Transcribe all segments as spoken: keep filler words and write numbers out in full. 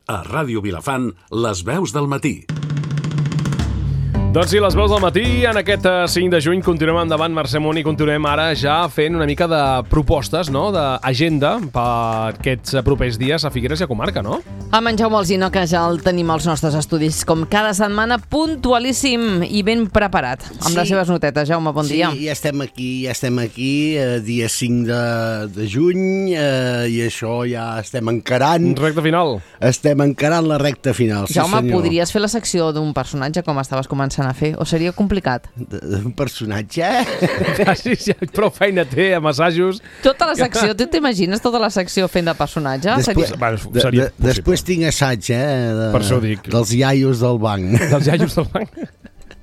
A Ràdio Vilafant, les veus del matí. Doncs sí, les veus del matí, en aquest cinc de juny continuem endavant, Mercè Món, i continuem ara ja fent una mica de propostes, no?, d'agenda per aquests propers dies a Figueres i a comarca, no? Amb en Jaume Alsina, que ja el tenim als nostres estudis, com cada setmana, puntualíssim i ben preparat, amb sí. les seves notetes. Jaume, bon sí, dia. Sí, ja estem aquí, ja estem aquí, eh, dia cinc de, de juny, eh, i això ja estem encarant... Recta final. Estem encarant la recta final, Jaume, sí, podries fer la secció d'un personatge com estaves començant a fer, o seria complicat? Un personatge? Ah, sí, sí, prou feina té, amb assajos. Tota la secció, tu t'imagines tota la secció fent de personatge? Després, seria... Bueno, seria de, de, després tinc assaig, eh? De, per això ho dic. Dels iaios del banc. Dels iaios del banc.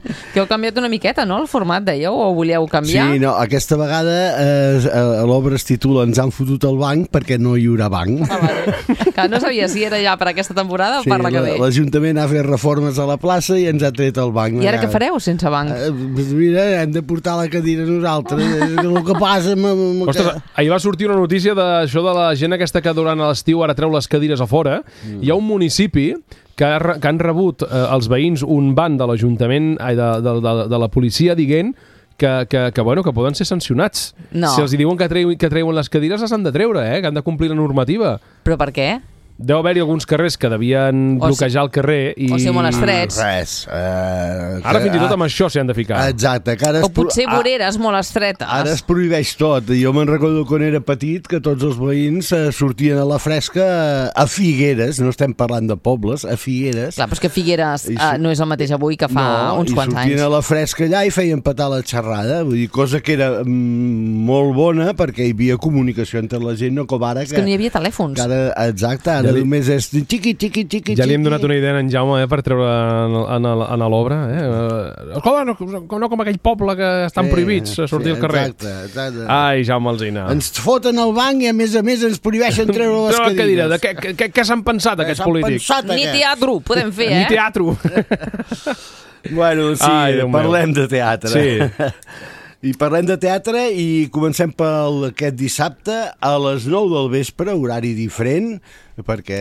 Que heu canviat una miqueta, no?, el format, dèieu, o volíeu canviar? Sí, no, aquesta vegada eh, l'obra es titula Ens han fotut el banc perquè no hi haurà banc. Ah, vale. Que no sabia si era ja per aquesta temporada sí, o per la que ve. L'Ajuntament ha fet reformes a la plaça i ens ha tret el banc. I ara què fareu sense banc? Eh, mira, hem de portar la cadira nosaltres. És el que passa amb... amb Ostres, que... ahir va sortir una notícia d'això de la gent aquesta que durant l'estiu ara treu les cadires a fora. Mm. Hi ha un municipi que, ha, que han rebut eh, els veïns un ban de l'Ajuntament, de, de, de, de la policia, dient que, que, que, bueno, que poden ser sancionats. No. Si els diuen que, treu, que treuen les cadires, les han de treure, eh? Que han de complir la normativa. Però per què? Deu haver-hi alguns carrers que devien o bloquejar el carrer i... O ser molt estrets. Res. Uh, ara fins i tot amb això s'hi han de ficar. Exacte. Que ara o potser pro... voreres molt estretes. Ara es prohibeix tot. Jo me'n recordo quan era petit que tots els veïns uh, sortien a la fresca a Figueres, no estem parlant de pobles, a Figueres. Clar, però és que Figueres I, uh, no és el mateix avui que fa no, uns quants anys. I sortien a la fresca allà i feien petar la xerrada, vull dir, cosa que era mm, molt bona perquè hi havia comunicació entre la gent, no com ara. És que, que no hi havia telèfons. Ara, exacte, ara ja li... només és xiqui, xiqui, xiqui, ja li hem donat una idea a en Jaume eh, per treure en, en, en l'obra. Eh? Escolta, no, no com aquell poble que estan sí, prohibits a sortir sí, al carrer. Exacte, exacte. Ai, Jaume Alsina. Ens foten al banc i a més a més ens prohibeixen treure les cadires. Cadira. De què, què, què s'han pensat aquests polítics? Pensat, Ni teatre podem fer, eh? Ni teatre. Bueno, sí, Ai, parlem meu. de teatre. Sí. I parlem de teatre i comencem per aquest dissabte a les nou del vespre, horari diferent, perquè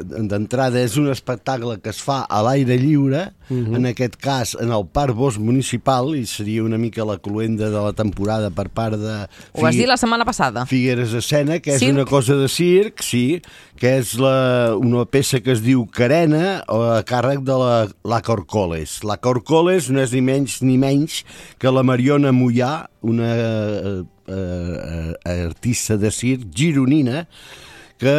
d'entrada és un espectacle que es fa a l'aire lliure, uh-huh. en aquest cas en el Parc Bosc Municipal, i seria una mica la cloenda de la temporada per part de... Ho vas dir la setmana passada. Figueres Escena, que és circ? Una cosa de circ, sí, que és la, una peça que es diu Carena, a càrrec de la, la Corcoles. La Corcoles no és ni menys ni menys que la Mariona Mollà, una eh, eh, artista de circ gironina, que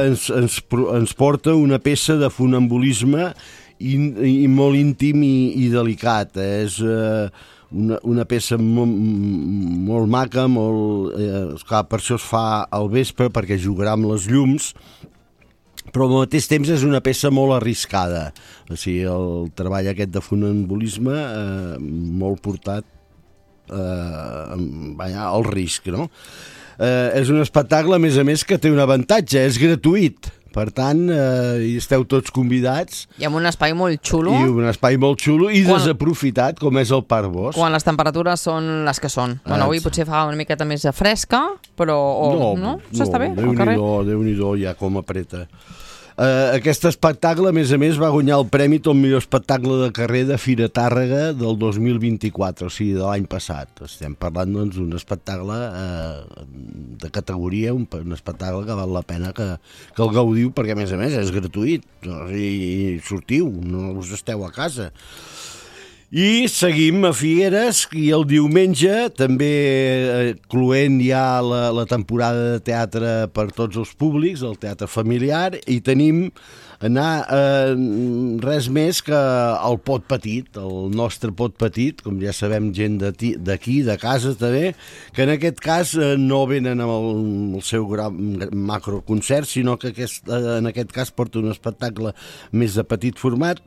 ens, ens, ens porta una peça de funambulisme i, i molt íntim i, i delicat. És eh, una, una peça molt, molt maca, molt, eh, clar, per això es fa al vespre, perquè jugarà amb les llums, però al mateix temps és una peça molt arriscada. O sigui, el treball aquest de funambulisme eh, molt portat eh, al risc, no? Eh, és un espectacle, a més a més, que té un avantatge, és gratuït. Per tant, eh, hi esteu tots convidats. I amb un espai molt xulo. I un espai molt xulo i quan... desaprofitat, com és el Parc Bosc. Quan les temperatures són les que són. Ah, bueno, avui potser fa una miqueta més de fresca, però... O, no, no? S'està no, bé, al carrer? Déu-n'hi-do, ja com apreta. Uh, aquest espectacle, a més a més, va guanyar el premi tot millor espectacle de carrer de Fira Tàrrega del dos mil vint-i-quatre, o sigui, de l'any passat. Estem parlant, doncs, d'un espectacle uh, de categoria, un, un espectacle que val la pena que, que el gaudiu, perquè, a més a més, és gratuït. O sigui, sortiu, no us esteu a casa. I seguim a Figueres, i el diumenge també eh, cloent ja la, la temporada de teatre per tots els públics, el teatre familiar, i tenim anar eh, res més que el Pot Petit, el nostre Pot Petit, com ja sabem, gent d'aquí, de casa també, que en aquest cas eh, no venen amb el, el seu gran macroconcert, sinó que aquest, eh, en aquest cas porta un espectacle més de petit format,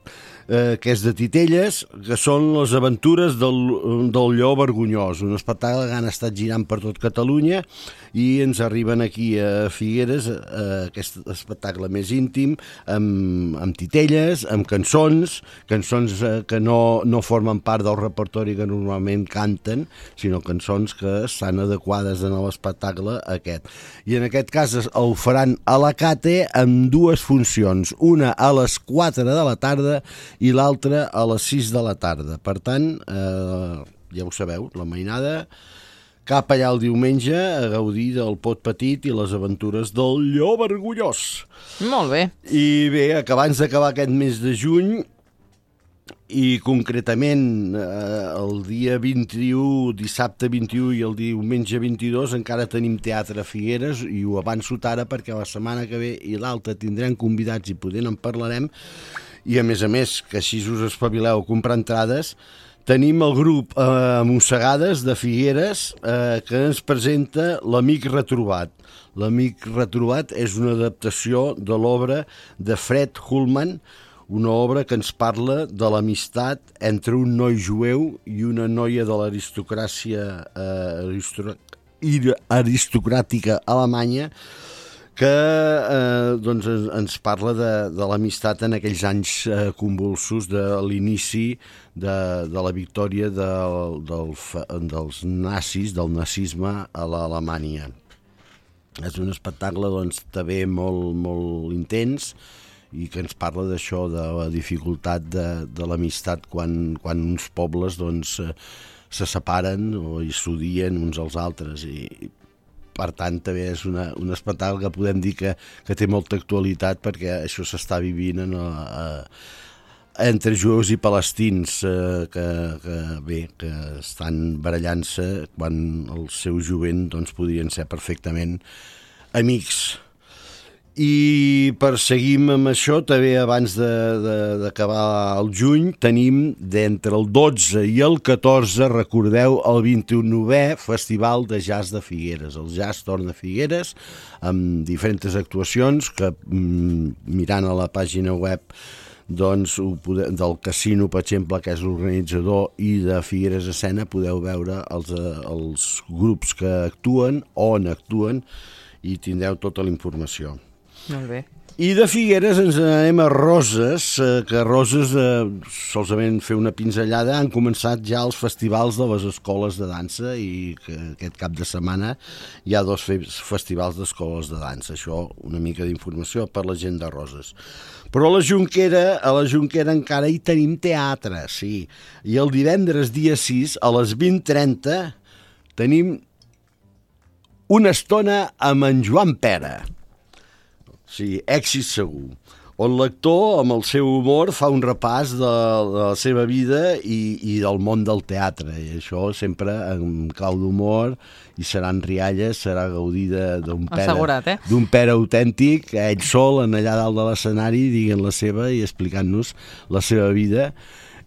eh, que és de titelles, que són les aventures del, del Lleó Vergonyós, un espectacle que han estat girant per tot Catalunya i ens arriben aquí a Figueres, eh, aquest espectacle més íntim, amb amb, amb titelles, amb cançons, cançons eh, que no, no formen part del repertori que normalment canten, sinó cançons que estan adequades en l'espectacle aquest. I en aquest cas el faran a la Cate amb dues funcions, una a les quatre de la tarda i l'altra a les sis de la tarda. Per tant, eh, ja ho sabeu, la mainada cap allà el diumenge a gaudir del Pot Petit i les aventures del Llop Orgullós. Molt bé. I bé, que abans d'acabar aquest mes de juny, i concretament eh, el dia vint-i-u, dissabte vint-i-u i el diumenge vint-i-dos encara tenim teatre a Figueres, i ho avanço ara perquè la setmana que ve i l'altra tindrem convidats i poder en parlarem, i a més a més que així us espavileu a comprar entrades. Tenim el grup eh, Mossegades de Figueres eh, que ens presenta L'Amic Retrobat. L'Amic Retrobat és una adaptació de l'obra de Fred Hoolman, una obra que ens parla de l'amistat entre un noi jueu i una noia de l'aristocràcia eh, aristocràtica alemanya, que eh, doncs ens parla de, de l'amistat en aquells anys eh, convulsos de l'inici de, de la victòria del, del, dels nazis, del nazisme a l'Alemanya. És un espectacle doncs, també molt, molt intens i que ens parla d'això, de la dificultat de, de l'amistat quan, quan uns pobles doncs, se separen o hi s'odien uns als altres, i per tant també és una, un espectacle que podem dir que, que té molta actualitat, perquè això s'està vivint en, a, entre jueus i palestins eh, que, que, bé, que estan barallant-se quan el seu jovent doncs, podrien ser perfectament amics. I per seguir amb això, també abans d'acabar el juny, tenim d'entre el dotze i el catorze, recordeu, el vint-i-unè Festival de Jazz de Figueres. El jazz torna a Figueres amb diferents actuacions que, mirant a la pàgina web doncs, del Casino, per exemple, que és l'organitzador, i de Figueres Escena, podeu veure els, els grups que actuen, on actuen, i tindreu tota la informació. Molt bé. I de Figueres ens anem a Roses, que a Roses, eh, solament fer una pinzellada, han començat ja els festivals de les escoles de dansa, i que aquest cap de setmana hi ha dos festivals d'escoles de dansa. Això, una mica d'informació per la gent de Roses. Però a la Jonquera, a la Jonquera encara hi tenim teatre, sí. I el divendres dia sis, a les vint trenta, tenim una estona amb en Joan Pera. Sí, èxit segur, on l'actor, amb el seu humor, fa un repàs de, de la seva vida i, i del món del teatre, i això sempre amb clau d'humor, i seran rialles, serà gaudir d'un Pere, eh? d'un Pere autèntic, ell sol, en allà dalt de l'escenari, dient la seva i explicant-nos la seva vida.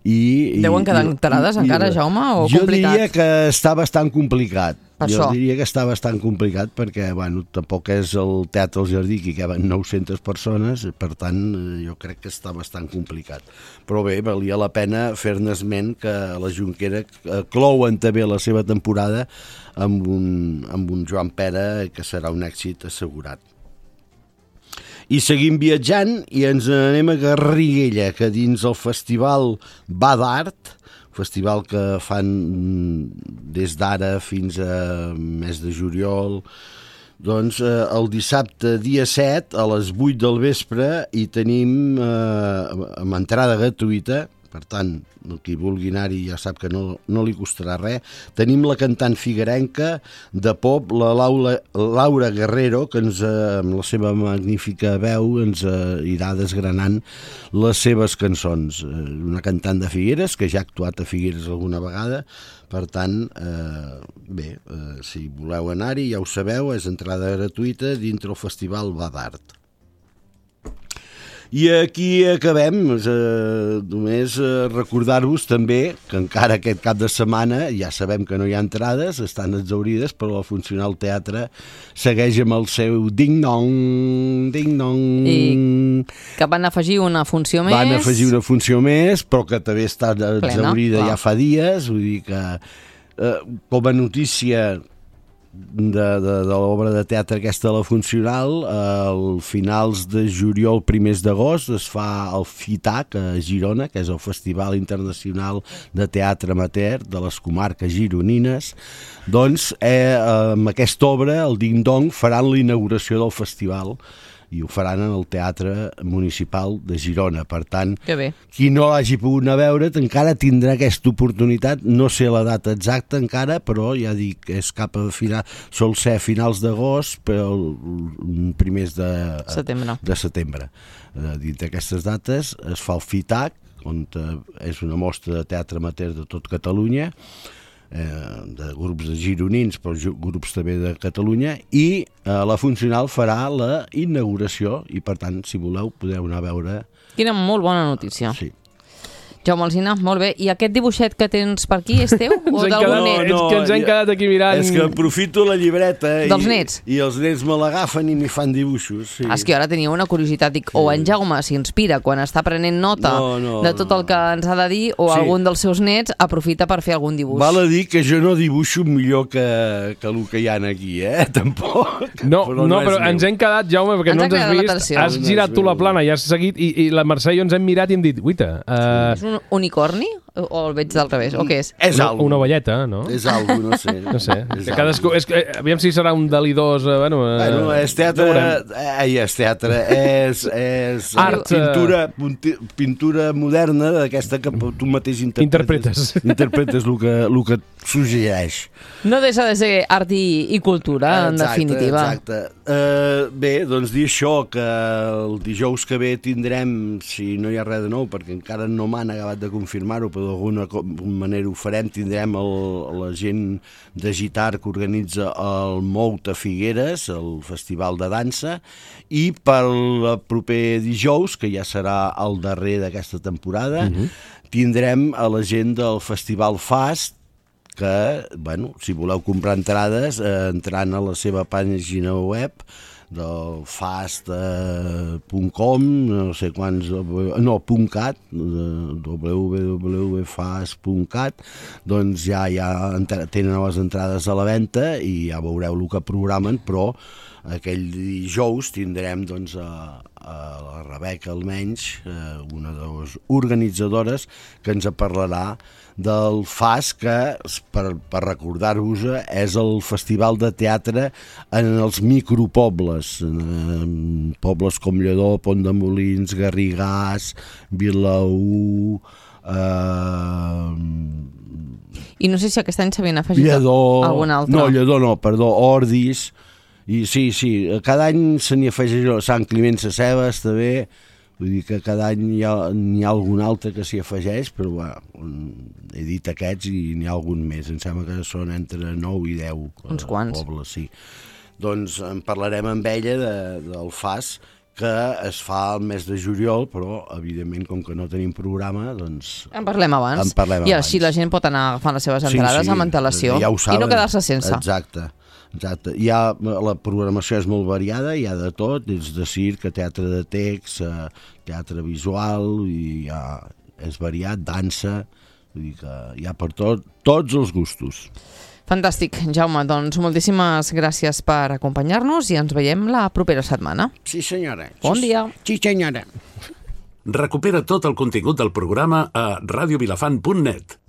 I, Deuen quedar enterades i, encara, i, Jaume, o jo complicat? Jo diria que està bastant complicat. Per jo això. diria que està bastant complicat perquè, bueno, tampoc és el Teatre al Jardí, que hi caben nou-centes persones, per tant, jo crec que està bastant complicat. Però bé, valia la pena fer-ne esment que a la Jonquera clouen també la seva temporada amb un, amb un Joan Pera, que serà un èxit assegurat. I seguim viatjant i ens anem a Garriguella, que dins el festival Va d'Art, festival que fan des d'ara fins a mes de juliol, doncs eh, el dissabte dia set a les vuit del vespre hi tenim eh, amb entrada gratuïta, per tant, qui vulgui anar-hi ja sap que no, no li costarà res. Tenim la cantant figuerenca de pop, la Laura, Laura Guerrero, que ens, amb la seva magnífica veu ens eh, irà desgranant les seves cançons. Una cantant de Figueres, que ja ha actuat a Figueres alguna vegada, per tant, eh, bé, eh, si voleu anar-hi, ja ho sabeu, és entrada gratuïta dintre el Festival Va d'Art. I aquí acabem, eh, només eh, recordar-vos també que encara aquest cap de setmana ja sabem que no hi ha entrades, estan exaurides, però el Funcional Teatre segueix amb el seu ding-dong, ding-dong. I que van afegir una funció més. Van afegir una funció més, però que també està exaurida Plena, ja fa dies, vull dir que eh, com a notícia de, de, de l'obra de teatre aquesta a la Funcional. Al finals de juliol, primers d'agost, es fa el FITAC a Girona, que és el Festival Internacional de Teatre Amateur de les comarques gironines. Doncs eh, amb aquesta obra, el Ding Dong, faran la inauguració del festival i ho faran en el Teatre Municipal de Girona. Per tant, que bé. Qui no l'hagi pogut anar a veure encara tindrà aquesta oportunitat. No sé la data exacta encara, però ja dic, és cap a final, sol ser a finals d'agost, però primers de setembre. De setembre. Dins d'aquestes dates es fa el FITAC, on és una mostra de teatre amateur de tot Catalunya, Eh, de grups de gironins però grups també de Catalunya, i eh, la Funcional farà la inauguració i per tant si voleu podeu anar a veure. Quina molt bona notícia. Sí. Jaume Alsina, molt bé. I aquest dibuixet que tens per aquí és teu? O d'algun net? No, no, és que ens hem quedat aquí mirant... És que aprofito la llibreta dels i, nets. i els nets me l'agafen i m'hi fan dibuixos. Sí. És que ara tenia una curiositat, dic, o en Jaume s'inspira quan està prenent nota no, no, de tot el que ens ha de dir, o sí. algun dels seus nets aprofita per fer algun dibuix. Val a dir que jo no dibuixo millor que, que el que hi ha aquí, eh? Tampoc. No, però, no, no però ens hem quedat, Jaume, perquè ens no ens has vist. Has no girat tu la plana i has seguit, i, i la Mercè i jo ens hem mirat i hem dit, uita... Uh... És un unicorni? O el veig del revés? O què és? És una, algo. Una ovelleta, no? És algo, no sé. No sé. És cadascú, és, aviam si serà un Dalí dos... Eh, bueno, eh, bueno, és teatre... Ai, és teatre. És, és art. Pintura, pintura moderna d'aquesta que tu mateix interpretes. Interpretes. Interpretes el que, el que suggereix. No deixa de ser art i, i cultura, exacte, en definitiva. Exacte. Uh, bé, doncs dir això, que el dijous que ve tindrem, si no hi ha res de nou, perquè encara no m'han acabat de confirmar-ho, però d'alguna manera ho farem, tindrem el, la gent de Gitar que organitza el Mout a Figueres, el festival de dansa, i pel proper dijous, que ja serà el darrer d'aquesta temporada, uh-huh. tindrem a la gent del Festival Fast, que, bueno, si voleu comprar entrades, eh, entrant a la seva pàgina web del fast punt com, no sé quants, no, .cat, w w w punt fast punt cat, doncs ja, ja tenen les entrades a la venda i ja veureu el que programen, però aquell dijous tindrem doncs, a, a la Rebeca almenys, una de les organitzadores, que ens parlarà del F A S, que, per, per recordar-vos, és el festival de teatre en els micropobles, en pobles com Lledó, Pont de Molins, Garrigàs, Vilaür... Eh... I no sé si aquest any s'havien afegit Lledó, algun altre. No, Lledó no, perdó, Ordis... I sí, sí, cada any se n'hi afegeix Sant Climent Sescebes també, vull dir que cada any hi ha, hi ha algun altre que s'hi afegeix, però bueno, he dit aquests i n'hi ha algun més, em sembla que són entre nou i deu uns quants pobles, sí. Doncs en parlarem amb ella de, del F A S, que es fa el mes de juliol, però evidentment com que no tenim programa, doncs... En parlem abans. En parlem I abans. així la gent pot anar agafant les seves entrades sí, sí, amb antelació ja ho saben, i no quedar-se sense. Exacte. Exacte. Hi ha, la programació és molt variada, hi ha de tot, des de circ, a teatre de text, a teatre visual, i hi ha, és variat, dansa, vull dir que hi ha per tot, tots els gustos. Fantàstic, Jaume, doncs moltíssimes gràcies per acompanyar-nos i ens veiem la propera setmana. Sí, senyora. Bon sí, dia. Sí, senyora. Recupera tot el contingut del programa a radio vilafant punt net.